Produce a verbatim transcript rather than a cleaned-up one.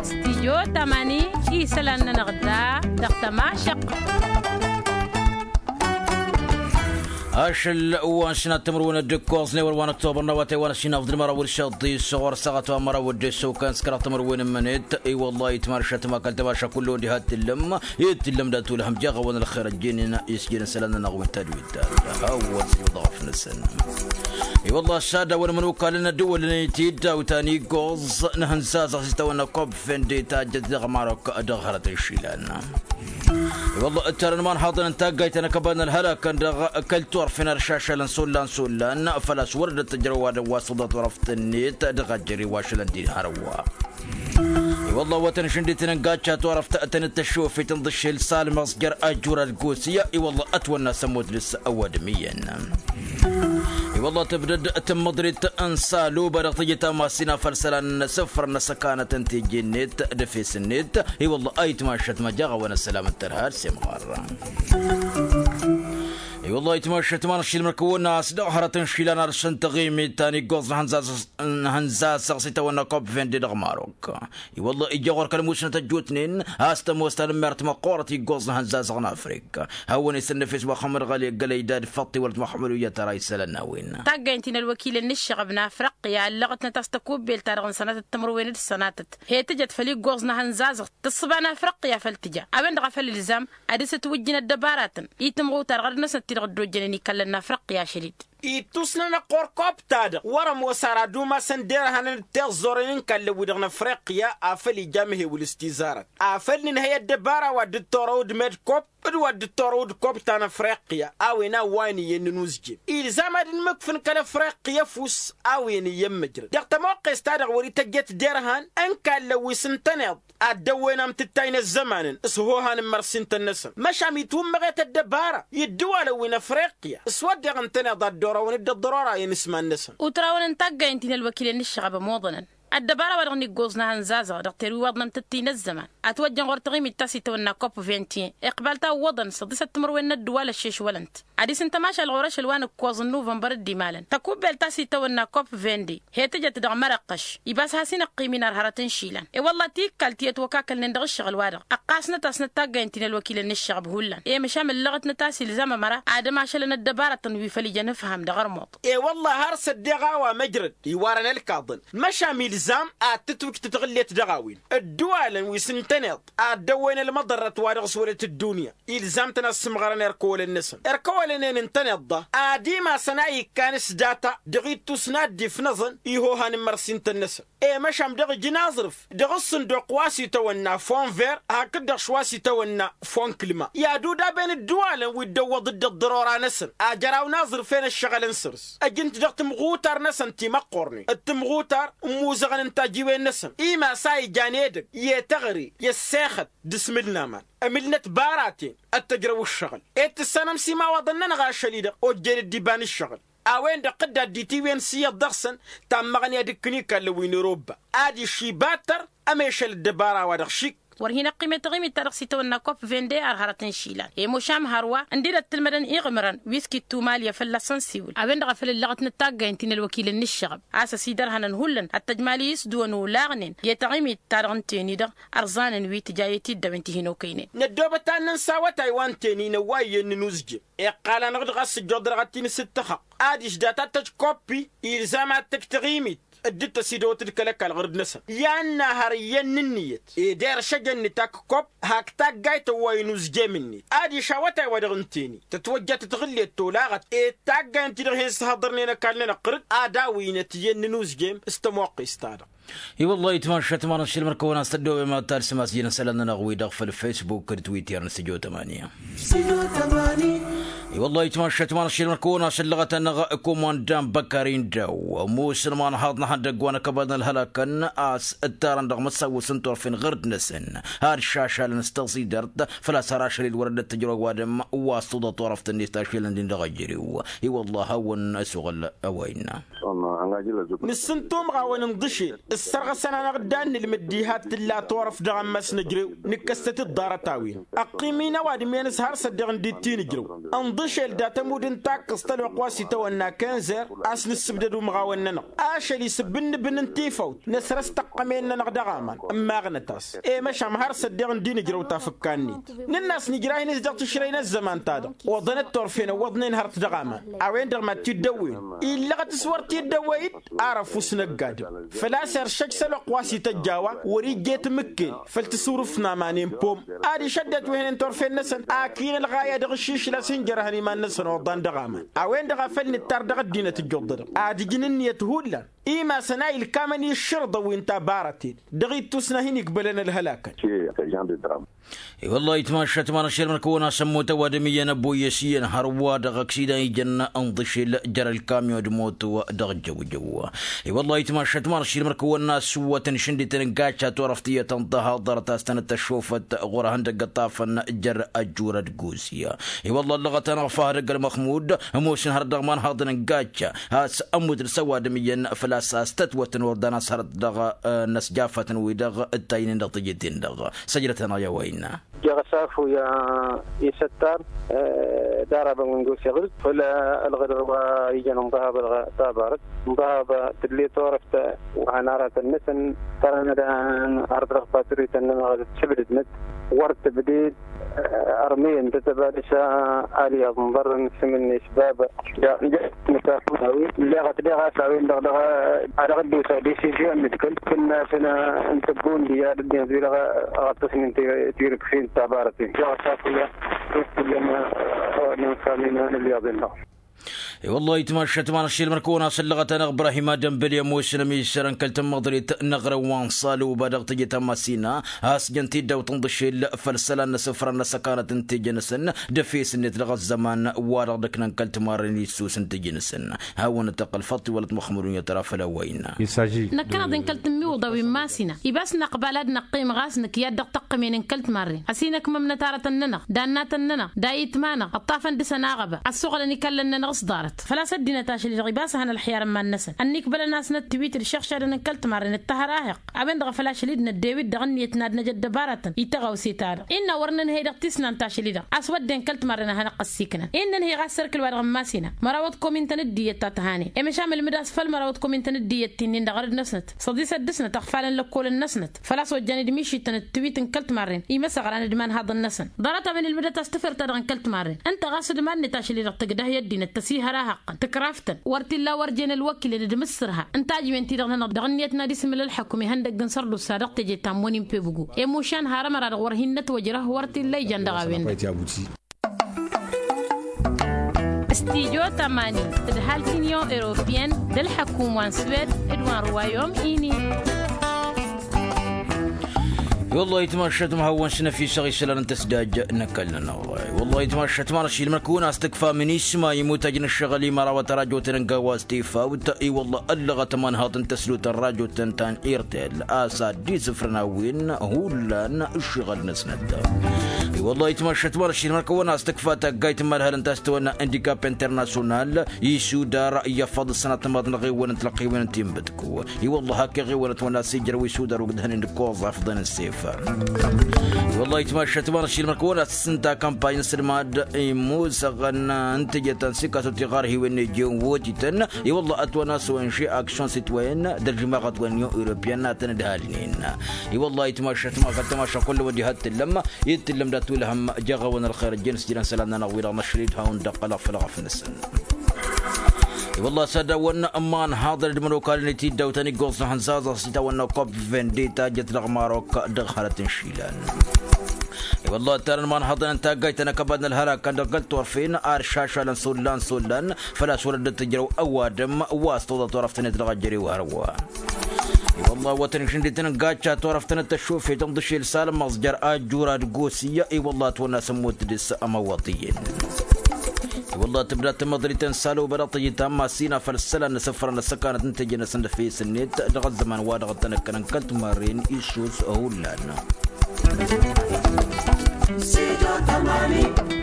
Stijyo tamani isălan-nănăɣ da dăɣ-tămašăq. Ašăl wa n-sinat timǝrwen d-ǝkkoẓ n-ewăr wa n-ăktobăr n-awătay wa n-ăsinăfḍ d-măraw d-săḍis ɣur-săɣăt wa n-măraw d-ăssokan s-kăraɣ timǝrwen n-imǝnet. I-wălla-hi tǝmaršăt ma kăl-tămaša kullu ăndi had-tǝllăm. Ed tǝllăm dat-ulhăm jaɣ-awăn ălxer ăjjenen isjănen isălan-nănăɣ wi n-tadwit ta hawăn-s iwăḍ ɣăf-năsăn. I-wălla-hi s-ad-awăn imănukalăn ădduwălăn-i-t-dd a-wa taniggoẓ n-ihǝnzazăɣ s-itawănna kobfende tajjăt dăɣ-marok dăɣ-hărăt n-išilan. I-wălla-hi ǝttarăn imanhaḍăn n-taggayt ta n-akăbad n-ălhălakăn dăɣ-kăl-turfen ar šašalăn s-ollan s-ollan făl-a-s wăr dd-tăjrăw wa dăɣ-wa s-tǝḍa turăft-net dăɣ-ajjăre wa šălăn din hărwa. I-wălla-hi wa tăn-išǝndităn n-gacca turăft tăn-dd-tăššofet n-iḍǝššel s-almăẓjăr ajjur ad-gosǝy. I-wălla-hi ătwănna s-ămmut dăɣ-s ăwadǝm iyyăn. I-wălla-hi tǝbdăd tǝmmăḍrit n-saluba dăɣ-tejăt amas-in afăl isălan n-asǝfrăn n-asăkanăt n-teje-net d-efes-net. I-wălla-hi ayǝtmašăt ma jaɣ-awăn ăssălam n-tărha ad-semɣar. I-wălla-hi ayǝtmašăt ma n-ašilmăr kăwăn-as dăɣ-hărăt n-išilan ad-săn taɣimit ta n-iggoẓ n-ihănzazăɣ s-itawănna kobfende dăɣ-marok. I-wălla-hi ija ɣur-kăl-musnăt ăjjootnen a-s tămoos tanǝmmert măqqoorăt iggoẓ n-ihănzazăɣ n-afrik. Hawăn-isănnăfes muxămmăd ɣali ăggălăy dad-făṭṭi wălăt muxămmăd uyyăt ara isălan n-a-wen. Taggaynt-in ălwăkilăn n-ǝššăɣăb n-afriqya ăllăɣătnăt a-s tăkubbelt-ta-dăɣ n-sănatăt timǝrwen d-sănatăt he tǝjăt făll-iggoẓ n-ihănzazăɣ tǝssǝba n-afriqya făll-tǝja. A-wen-dăɣ a făl ǝlzam ad-dăr-s ătwǝjjǝn ăddăbaratăn i-tǝmɣutar ɣărăt-năsăn ti-dăɣ dd-ojjănen ikallăn n-afriqya ašăl-dd. Ittusnănăɣ ɣur-kopp-ta-dăɣ wăr-ămoos ara ad-umasăn derhanăn d-tiẓẓoren n-ikallăn-wi-dăɣ n-afriqya afăl ija amhewǝl s-tizarăt afăl nǝnhăy ăddăbara wa dd-torăw d-med kopp d-wa dd-torăw d-kopp ta n-afriqya a-wen a ǝwwayăn iyyăn n-inuzjem. Ilzam ad-dd-mǝkfǝn kăl-afriqya ăfuss a-wen iyyăn măjrăd dăɣ-tămoqqes-ta-dăɣ wăr-ităjjăt derhan n-ikallăn wi s-ǝntăneḍ ad-dd-ăwwen amtǝttay n-ăzzămanăn s-ihohan n-imărsintăn-năsăn. Măšan itwǝmmăɣet ăddăbara i-ǝddǝwalăn wi n-afriqya s-wădden ǝntăneḍ ad-dd-orăwăn dd-ăḍḍărorayăn s-iman-năsăn. Utrawăn n-taggaynt-in ălwăkilăn n-ǝššăɣăb ămoḍănăn ăddăbara-wa-dăɣ n-iggoẓ n-ahănzazăɣ dăɣ-terwiwaḍ n-amtǝttǝy n-ăzzăman ătwăjjăn ɣur-taɣimit ta s-itawănna kopp vingt et un iqbal ta ǝwwăḍăn săḍisăt timǝrwen n-ăddǝwal ăššešwălăn-t ad-isǝntăm ašăl ɣur-ašăl wa n-ǝkkoẓ n-nuvănbăr d-imalăn tăkubbelt ta s-itawănna kopp vingt-deux he tǝjăt dăɣ-mărăqqăš. Ibas has-inăqqim-in ar hărăt n-išilan i-wălla-hi tikkal ti ătwăkakălnen dăɣ-ǝššăɣǝl-wa-dăɣ ăqqasnăt-asnăt taggaynt-in ălwăkilăn n-ǝššăɣăb hullan i-măšan mǝllăɣătnăt a-s ilzam ămăra ad-ămašălăn ăddăbarătăn wi făll-ijăn ǝfham dăɣ-ărmuḍ. I-wălla-hi har s-ăddeɣ a-wa măjrăd iwarăn ălkaḍăn măšan ilzam ad-tǝtwǝj tǝtɣǝllet dăɣ-a-wen ǝddǝwalăn wi s-ǝntăneḍ ad-dd-ăwwen ălmăḍărrăt wa dăɣ-s wălăt ăddunya. Ilzam-tăn ad-sǝmɣărăn erk ăwălăn-năsăn erk ăwălăn-en ǝntăneḍ-ta ad-imasăn a ikkan s-data dăɣ-ittus n-ad-dd-ifnăẓăn ihohan n-imărsintăn-năsăn. I-măšan dăɣ-ijǝn aẓrǝf dăɣ-ǝssǝnduq wa s-itawănna fonver hakd-dăɣ š-wa s-itawănna fonkǝlma i-ad-udaben ǝddǝwalăn wi dd-ăwwăḍ dd-ăḍḍărora-năsăn ajăraw n-aẓrǝf-en ǝššăɣǝlăn săr-s ăjǝn-t dăɣ-tǝmɣutar-năsăn timăqqornen d-tǝmɣutar n-imuzăɣăn n-tajiwen-năsăn. Imas a ijan edăgg i-teɣăre i-ăssexăt d-asmǝl n-aman ămǝlnăt baraten ad-t-ăjrăw ǝššăɣǝl. Ed tǝssanăm s-imawaḍăn-nănăɣ ašăl-i-dăɣ ojjen dd-iba n-ǝššăɣǝl a-wen-dăɣ tǝdda dd-itiwǝyăn s-iyyăḍ dăɣ-săn. Tammăɣnǝya d-ǝkkǝn ikallăn wi n-erobba ad-iššibattăr ămešăl ăddăbara-wa-dăɣ šik. Wăr hin-ăqqim i-taɣimit-ta-dăɣ s-itawănna kopp vende ar hărăt n-išilan i-mušam hărwa ǝndin ăttǝlmădăn iɣmǝrăn wi s-kittumalya fălla-săn s-iwǝl a-wen-dăɣ a făl ǝllăɣătnăt taggaynt-in ălwăkilăn n-ǝššăɣăb a-s ăsidărhănăn hullan ad-tăjmal i-isdǝwăn olaɣnen i-taɣimit-ta-dăɣ ǝnta-eni-dăɣ ărẓanen wi tǝja i-tiddăw n-tihinokăynen. Năddoobăt ad-nǝns awătay wa n-teni năwway iyyăn n-inuzjăm iqqal-anăɣ-dd ɣas ǝjjuḍ dăɣ-t-in s-ǝttăxăɣ ad-išdat ad-tăj koppi ilzam ad-tăj taɣimit dd-tăsidăwăt d-kăl-ăkall ɣǝrǝd-năsăn i-ad-nahăr iyyăn n-ǝnniyăt ed erš ejăn nǝtak kopp hak taggayt ăwway inuzjem-net. Ad-išawătay wa dăɣ-ǝnta-eni tătwăjja tătɣǝllet tolaɣăt ed taggayt ǝnta-dăɣ hin-săhăḍărnen ăkall-nănăɣ ɣǝrǝd ad-awǝynăt iyyăn n-inuzjem s-tămoqqes-ta-dăɣ. I-wăllah itmašat ma n-ašilmăr kăwăn-as tăddoobem ad-talsǝm a-s ijăn isălan-nănăɣ-wi-dăɣ făll-facebook d-twitter n-stujo tămani. I-wăllah itmašat ma n-ašilmăr kăwăn-as ǝllăɣăt-anăɣ kumandan băkări n-daw musǝlman haḍ n-ehăndăgg wa n-akăbad n-ălhălakăn a-s ǝttarăn dăɣ-măsawǝs n-turfen ɣǝrd-năsăn. Ad-šašalăn s-tăẓidărt făl-a-s har ašăl-dd wăr dd-tǝjrăw ăwadǝm wa s-tuḍa turăft-net tašilăn-din dăɣ-ejărew. I-wăllah hawăn-ăsuɣǝl a-wa innă. Nǝssǝntumɣ-awăn ǝnḍǝšel ǝssărɣăsăn-anăɣ dd-ad-nǝlmǝd diha t-tǝlla turăft dăɣ-ammas n-ejărew nǝkkăstăt-dd ḍarăt-a-wen. Ăqqim-in ăwadǝm-en s-har s-ăddeɣ ǝndi t-inǝjrăw ǝnḍǝšel. Ašăl dat-ămudd n-takkăẓt ălwăqq wa s-itawănna kenzer a-s nǝssǝbdăd umɣawăn-nănăɣ. Ašăl isǝbbǝnnǝbǝn n-tifawt năsrăs tăqqămen-nănăɣ dăɣ-aman. Ǝmmaɣnăt-as i-măšan har s-ăddeɣ n-di nǝjrăw tafǝkka-net. Nǝnn'-as nǝjrah-in-s dăɣ-tišrăy n-ăzzăman-ta-dăɣ oḍăn ăttorfen ăwwăḍnen hărăt dăɣ-aman. A-wen-dăɣ mad-t-dd-ăwwen illăɣăt s-wăr t-dd-ăwwăy-dd. Ar ăfuss n-ăgg-adǝm făl-a-s iršăj s-ălwăqq wa s-ităjj a-wa wăr-ijje tamǝkken. Făll-tǝsurǝft n-aman i-n-pom ad-išăddăt wehnen turfen-năsăn. Ak inǝlɣa i-ad-dăɣ-ǝššišǝl a-s hin-jărhăn iman-năsăn oḍan dăɣ-aman. A-wen-dăɣ a făl nǝttar dăɣ-ăddinăt ǝjjuḍădăɣ ad-ǝjǝn ǝnniyăt hullan. Imasăn a ilkamăn i-ǝššărǝḍăn wi n-tabarăten dăɣ-ittus n-ad-hin-ikbălăn ălhălakăn. I-wălla-hi tmašat ma n-ašăl măr-kăwăn-asăn motăw adǝm iyyăn ăboyyăs iyyăn hărwa dăɣ-aksidan ijăn n-ḍǝšel jer-ălkamyon d-motăw dăɣ-jăwjăw. I-wălla-hi tmašat ma n-ašăl măr-kăwăn-asăn wătăn išǝndităn n-gacca turăft iyyăt n-tăhaḍăr ta s-tănăt-tăššofăt ɣur-ehăndăgg ăṭṭafăn jer-ăjjurăd guzya. I-wălla ăllăɣăt-anăɣ făh dăgg-ălmăxmud ămoosăn hărăt dăɣ-imanhaḍăn n-gacca has-ămmut d-săwadǝm iyyăn făl-a-s a-s tătwătăn ordan a-s hărăt dăɣ-năsjafatăn-wi-dăɣ ǝttaynen dăɣ-tijǝt-in-dăɣ. Săjdăt-anăɣ i-a-wa innă. Jăɣ-ăsafuyăn isăttar d-arabăn wi n-gos iɣǝl făll-ălɣǝdăr wa ijăn ǝnḍăhabă dăɣ-tabarăt. Ǝnḍăhabă tǝdle turăft wa han aratăn-năsăn tărănăd har dăɣ-patruy-tăn-nănăɣ d-tǝbdǝd-năt wăr tǝbded. Ărmeyăn tătăbadǝs alyaẓ n-iḍarrăn s-imǝnnes bab. Nǝtafun a-wen ǝlleɣăt deɣ a-s a-wen-dăɣ dăɣ-a dăɣ-dd-osa desizyon n-ǝdkǝl kǝnnasăn n-tăggondi ad-dd-inẓǝy dăɣ-ăṭṭăsnen tirǝksin tabarăten. Dăɣ-ăsafuyăn tusǝyyăn ăwadǝm n-samin n-ǝlyaẓ-en-dăɣ. I-wăllah itmašat ma n-ašăl măr-kăwăn-asăn ǝllăɣăt-anăɣ ibrahim ad-ănbăl i-ămoosăn ămisărăn kăl-tămmăḍrit n-aɣrǝw wa n-saluba dăɣ-teje ta n-masina. A-s jăn tiddawt n-iḍǝšel făll-isălan n-asǝfran n-asăkanăt n-teje-năsăn d-efes-net dăɣ-ăzzăman wa dăɣ-dd-ǝknăn kăl-timarren issus n-teje-năsăn. Hawăn-dd-tăqqăl faḍt iwălăt măxmud unyăt ra făll-a-wa innă. Năkkăneḍ-in kăl-tǝmmiwǝḍa wi n-masina ibas năqbal ad-năqqim ɣas nǝkk i-ad-dăɣ-tăqqǝmen n-kăl-timarren ăsinăkmămnăt aratăn-nănăɣ d-annatăn-nănăɣ d-ayǝtma-năɣ ǝṭṭafăn dăɣ-săn aɣăba ăssuɣǝlăn ikallăn-nănăɣ s-ḍarăt. Făl-a-s ăddinăt ašăl-i-dăɣ ibas a han ălxiyar n-iman-năsăn ănnikbălăn-asnăt tiwit d-išăɣšadăn n-kăl-timarren d-tahăr ahǝqq. A-wen-dăɣ a făl ašăl-i d-năddew-dd dăɣ-ǝnniyăt n-ad-năj ăddăbarătăn i-tăɣawse-ta-dăɣ innă wăr nǝnhăy dăɣ-tisnant ašăl-i-dăɣ a-s wădden kăl-timarren a hanăɣ-ăssiknăn. Innă nǝnhăy ɣas sărkǝl-wa-dăɣ n-masina mărawăt komintăn d-iyyăt ta tăhanen i-măšan mălmǝd a-s făll-mărawăt komintăn d-iyyăt ti-nin-dăɣ ărǝd-năsnăt săḍisăt dăɣ-snăt ăɣfalăn lăkkolăn-năsnăt. Făl-a-s ojjan-dd mišităn d-tiwit n-kăl-timarren imăsăɣran d-imanhaḍăn-năsăn. Ḍarăt a-wen ǝlmǝdăt a-s tǝfert-ta-dăɣ n-kăl-timarren ǝnta ɣas d-iman-net ašăl-i-dăɣ tǝgdăh i-ăddinăt tăsihăr ahăqqăn tǝkraftăn wăr t-illa wăr jen ălwăkilăn d-imǝssărha ǝnta a ǝjmen-ti-dăɣ-nănăɣ dăɣ-ǝnniyăt n-ad-isǝmǝl ălḥăkum ihăndăgg n-sărdusa dăɣ-teje ta n-imunin pebugo. Emušan har ămăra-dăɣ wăr hin-nătwăjrăh wăr t-illa ijan dăɣ-a-wen-dăɣ. Studyo tămani tǝdhal t-inyon europeyăn d-ălḥăkum wa n-swed d-wa n-ruwayom ini. I-wăllah itmašat ma hawăn-s năfisăɣ isălan n-tăsdaj n-ăkall-nănăɣ. I-wăllah itmašat ma n-ašilmăn kăwăn-as tǝkfa minisma imutăj n-ăššăɣǝl i-mărawăt ărajotăn n-gawa s-tifawt. I-wăllah ăllăɣăt ămanhaḍ n-tăslut ărajotăn ta n-irtel a-s ad-dd-isǝfrăn a-wen hullan ǝššăɣǝl-năsnăt. I-wăllah itmašat ma n-ašilmăn kăwăn-as tǝkfa taggayt n-imadhal n-tastăwănna indikap internasyonal isudar i-afăḍ ǝssănat n-imaḍ n-aɣewăn n-tilăqqiwen n-tinbǝt. I-wăllah hak iɣiwăn ătwănna s-ijrăw isudar ugdăhnen d-ikoẓ afḍăn n-sef. I-wăllah itmašat ma n-ašilmăn kăwăn-as tǝssǝnta kampany n-sǝlmad imusăɣăn n-tijăt ta n-sikasut iɣarhiwen n-ejen wotităn. I-wăllah ătwănna s-ong aksyon sitwen d-ălžǝmaɣăt wa n-inyon europeyăn a tăn-ǝdhalnen. I-wăllah itmašat ma kăl-tamaša kull-wăddi hăt tǝllăm. Dd-tǝllăm dat-tulhăm jăɣ-awăn ălxer ǝjjăn s-jilăn isălan-nănăɣ-wi-dăɣ năššăl-dd hawăn-dd-ăqqălăɣ făll-ɣăf-năsăn. I-wăllah s-ad-awăn ămmanhaḍăn d-imănokalăn i-tiddawt ta n-iggoẓ n-ihănzaẓ a-s itawănna kop vendita jăt dăɣ-marok dăɣ-hărăt n-išilan. I-wăllah ăttarăn imanhaḍăn n-taggayt ta n-akăbad n-ălhălak kan dăɣ-kăl-turfen ar šašalăn s-ollan s-ollan. Făl-a-s wăr dd-tǝjrăw ăwadǝm wa s-tawăḍa turăft-net dăɣ-ejărew hărwa. I-wăllah wătăn išǝndităn n-gacca turăft-net tăššofet n-iḍǝšel salmăẓ jer-ajjura d-gosiyya i-wăllah ătwănna s-ămmut dăɣ-s ămăwwăḍ iyyăn. I-wăllah tǝbda tamăḍrit n-saloba dăɣ-tejǝt ta n-masina făll-isălan n-asǝfra n-asăkanăt n-teje-năsăn d-efes-net dăɣ-ăzzăman wa dăɣ-tăn-ǝkkănăn kăl-timarren issus hullan. Studio tămani.